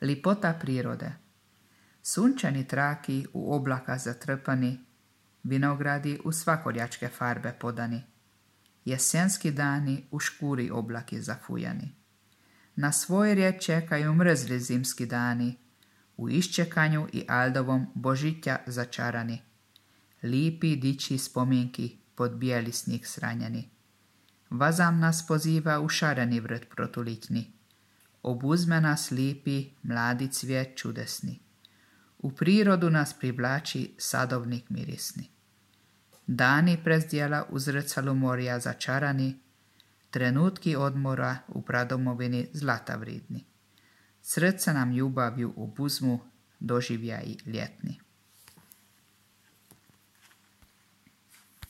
Lipota prirode. Sunčani traki u oblaka zatrpani, vinogradi u svakoljačke farbe podani, jesenski dani u škuri oblaki zafujani. Na svoj red čekaju mrzli zimski dani, u iščekanju i aldovom božića začarani. Lipi diči spominki pod bijeli snijeg sranjeni. Vazam nas poziva u šareni vrt protulitni. Obuzme nas lipi mladi cvijet čudesni. U prirodu nas privlači sadovnik mirisni. Dani prezdjela u zrcalu morja začarani, trenutki odmora u pradomovini zlata vridni. Srca nam ljubavju obuzmu, doživljaji ljetni.